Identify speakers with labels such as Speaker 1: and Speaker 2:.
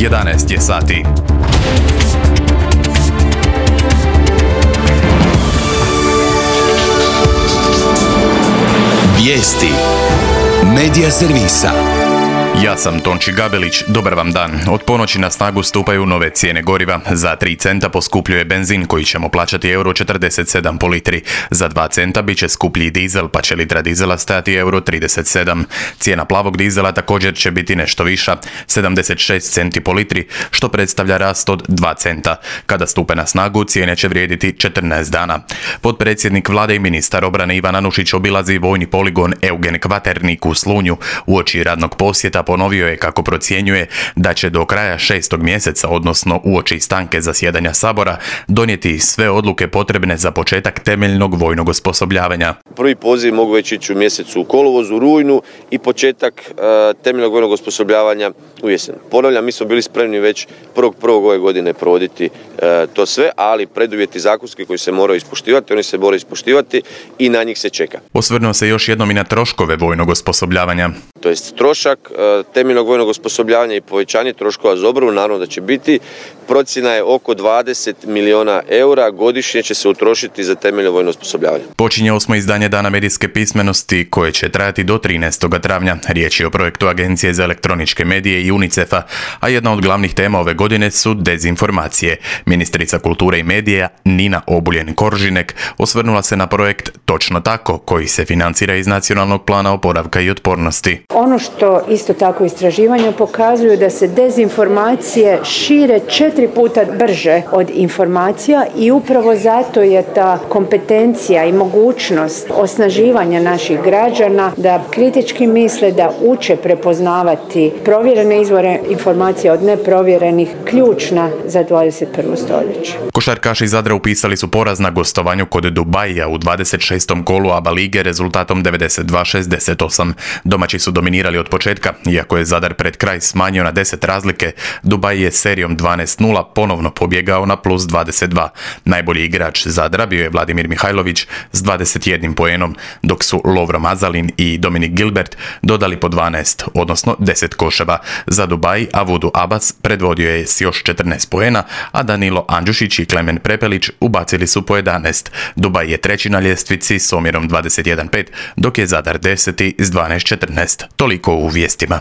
Speaker 1: 11 je sati.
Speaker 2: Vijesti Medija servisa.
Speaker 1: Ja sam Tonči Gabelić, dobar vam dan. Od ponoći na snagu stupaju nove cijene goriva. Za 3 centa poskupljuje benzin koji ćemo plaćati €47 po litri. Za 2 centa bit će skuplji dizel, pa će litra dizela stajati €37. Cijena plavog dizela također će biti nešto viša, 76 centi po litri, što predstavlja rast od 2 centa. Kada stupe na snagu, cijene će vrijediti 14 dana. Potpredsjednik vlade i ministar obrane Ivan Anušić obilazi vojni poligon Eugen Kvaternik u Slunju. Uoči radnog posjeta ponovio je kako procjenjuje da će do kraja 6. mjeseca, odnosno uoči stanke zasjedanja Sabora, donijeti sve odluke potrebne za početak temeljnog vojnog osposobljavanja.
Speaker 3: Prvi poziv mogu već ići u mjesecu u kolovozu, u rujnu i početak temeljnog vojnog osposobljavanja u jesen. Ponavljam, mi smo bili spremni već 1.1. ove godine provoditi to sve, ali preduvjeti zakonski koji se moraju ispoštivati, oni se moraju ispoštivati i na njih se čeka.
Speaker 1: Osvrnuo se još jednom i na troškove vojnog osposobljavanja.
Speaker 3: To jest trošak temeljnog vojnog osposobljavanja i povećanje troškova za obranu, naravno da će biti. Procjena je oko 20 milijuna eura godišnje će se utrošiti za temeljno vojno osposobljavanje.
Speaker 1: Počinje 8. izdanje Dana medijske pismenosti koje će trajati do 13. travnja. Riječ je o projektu Agencije za elektroničke medije i UNICEF-a, a jedna od glavnih tema ove godine su dezinformacije. Ministrica kulture i medija Nina Obuljen-Koržinek osvrnula se na projekt Točno tako, koji se financira iz Nacionalnog plana oporavka i otpornosti.
Speaker 4: Ono što isto tako istraživanja pokazuju da se dezinformacije šire 4 puta brže od informacija i upravo zato je ta kompetencija i mogućnost osnaživanja naših građana da kritički misle, da uče prepoznavati provjerene izvore informacija od neprovjerenih ključna za 21. stoljeće.
Speaker 1: Košarkaši Zadra upisali su poraz na gostovanju kod Dubaija u 26. kolu ABA lige rezultatom 92-68. Domaći su dominirali od početka, iako je Zadar pred kraj smanjio na 10 razlike, Dubaj je serijom 12-0 ponovno pobjegao na plus 22. Najbolji igrač Zadra bio je Vladimir Mihajlović s 21 poenom, dok su Lovro Mazalin i Dominik Gilbert dodali po 12, odnosno 10 koševa. Za Dubaj Avudu Abbas predvodio je s još 14 poena, a Danilo Andžušić i Klemen Prepelić ubacili su po 11. Dubaj je treći na ljestvici s omjerom 21-5, dok je Zadar 10. s 12-14. Toliko u vijestima.